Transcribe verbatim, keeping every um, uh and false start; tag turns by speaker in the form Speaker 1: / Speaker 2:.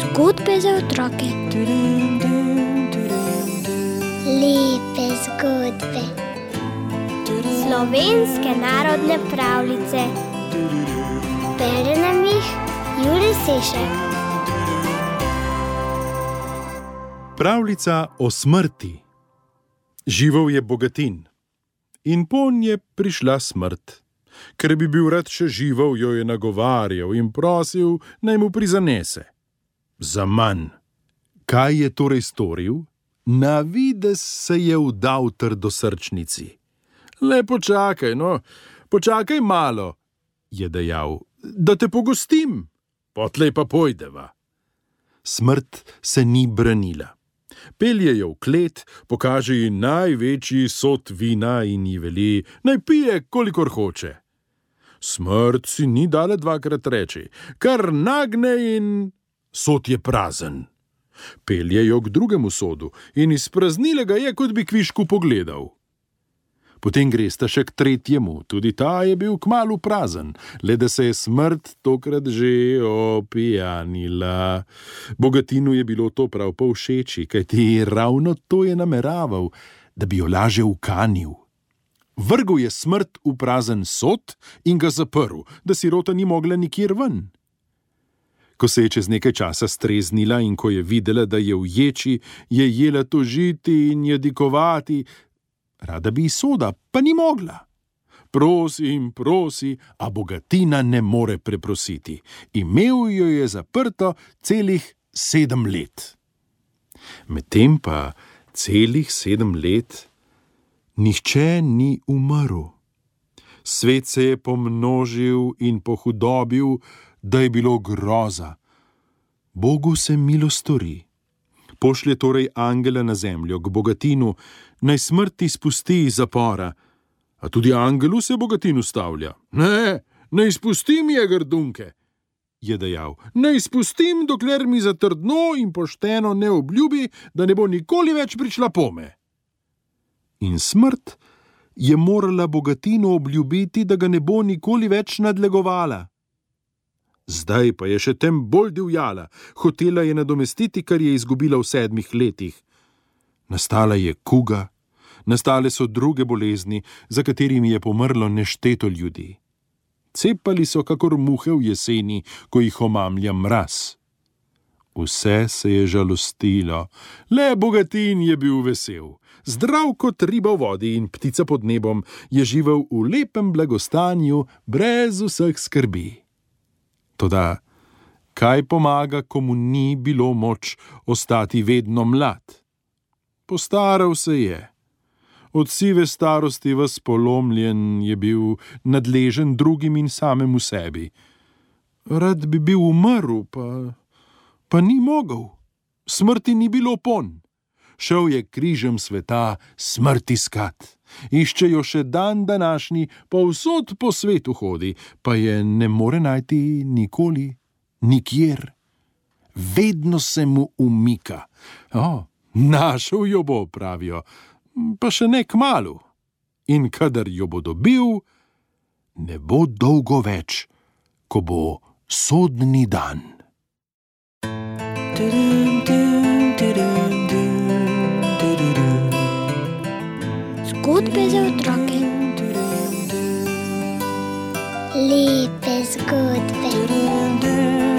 Speaker 1: Zgodbe za otroke.
Speaker 2: Lepe zgodbe. Slovenske narodne pravljice. Bere nam jih Jurij Sešek.
Speaker 3: Pravljica o smrti. Živel je Bogatin in ponj je prišla smrt. Ker bi bil rad še živel, jo je nagovarjal in prosil, naj mu prizanese. Zaman. Kaj je torej storil? Na videz se je vdal trdosrčnici. Le počakaj, no, počakaj malo, je dejal, da te pogostim, potlej pa pojdeva. Smrt se ni branila. Pelje jo v klet, pokaže ji največji sod vina in ji veli, naj pije, kolikor hoče. Smrt si ni dala dvakrat reči, kar nagne in sod je prazen. Pelje jo k drugemu sodu in izpraznile ga je, kot bi kvišku pogledal. Potem gresta še k tretjemu, tudi ta je bil kmalu prazen, le da se je smrt tokrat že opijanila. Bogatinu je bilo to prav povšeči, kajti ravno to je nameraval, da bi jo laže ukanil. Vrgel je smrt v prazen sod in ga zaprl, da sirota ni mogla nikjer ven. Ko se je čez nekaj časa streznila in ko je videla, da je v ječi, je jela tožiti in jadikovati, rada bi iz soda, pa ni mogla. Prosi in prosi, a Bogatina ne more preprositi. Imel jo je zaprto celih sedem let. Medtem pa celih sedem let nihče ni umrl. Svet se je pomnožil in pohudobil, da je bilo groza. Bogu se milo stori. Pošlje torej angela na zemljo k Bogatinu, naj smrti spusti iz zapora. A tudi angelu se Bogatin ustavlja. Ne, ne izpustim je grdunke, je dejal. Ne izpustim, dokler mi zatrdno in pošteno ne obljubi, da ne bo nikoli več prišla pome. In smrt je morala Bogatinu obljubiti, da ga ne bo nikoli več nadlegovala. Zdaj pa je še tem bolj divjala, hotela je nadomestiti, kar je izgubila v sedmih letih. Nastala je kuga, nastale so druge bolezni, za katerimi je pomrlo nešteto ljudi. Cepali so kakor muhe v jeseni, ko jih omamlja mraz. Vse se je žalostilo, le Bogatin je bil vesel. Zdrav kot riba v vodi in ptica pod nebom, je živel v lepem blagostanju, brez vseh skrbi. Toda, kaj pomaga, komu ni bilo moč ostati vedno mlad? Postaral se je. Od sive starosti ves polomljen je bil, nadležen drugim in samemu sebi. Rad bi bil umrl, pa, pa ni mogel. Smrti ni bilo ponj. Šel je križem sveta smrt iskat. Išče jo še dan današnji, povsod po svetu hodi, pa je ne more najti nikoli, nikjer. Vedno se mu umika. O, našel jo bo, pravijo, pa še ne kmalu. In kadar jo bo dobil, ne bo dolgo več, ko bo sodni dan.
Speaker 1: Zgodbe za otroke.
Speaker 2: Lepe zgodbe.